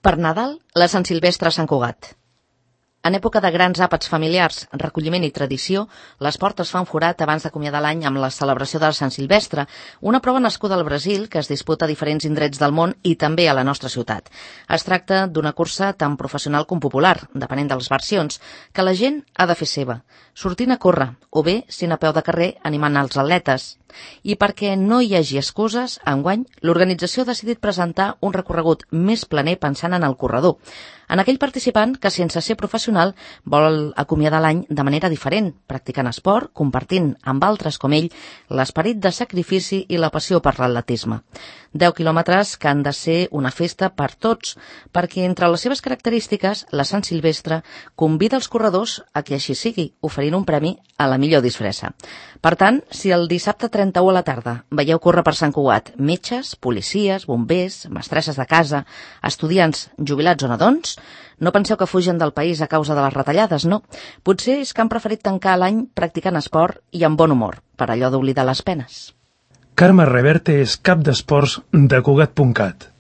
Per Nadal, la Sant Silvestre a Sant Cugat. En època de grans àpats familiars, recolliment i tradició, les portes fan forat abans d'acomiadar l'any amb la celebració de Sant Silvestre, una prova nascuda al Brasil que es disputa a diferents indrets del món i també a la nostra ciutat. Es tracta d'una cursa tan professional com popular, depenent de les versions, que la gent ha de fer seva, sortint a córrer, o bé sent a peu de carrer animant els atletes. I perquè no hi hagi excuses, enguany, l'organització ha decidit presentar un recorregut més planer pensant en el corredor, en aquell participant que, sense ser professional, vol acomiadar l'any de manera diferent, practicant esport, compartint amb altres com ell l'esperit de sacrifici i la passió per l'atletisme. 10 quilòmetres que han de ser una festa per tots, perquè entre les seves característiques, la Sant Silvestre convida els corredors a que així sigui, oferint un premi a la millor disfressa. Per tant, si el dissabte 31 a la tarda veieu córrer per Sant Cugat metges, policies, bombers, mestresses de casa, estudiants, jubilats o nadons, no penseu que fugen del país a causa de les retallades, no. Potser és que han preferit tancar l'any practicant esport i amb bon humor, per allò d'oblidar les penes. Carme Reverte és cap d'esports de Cugat.cat.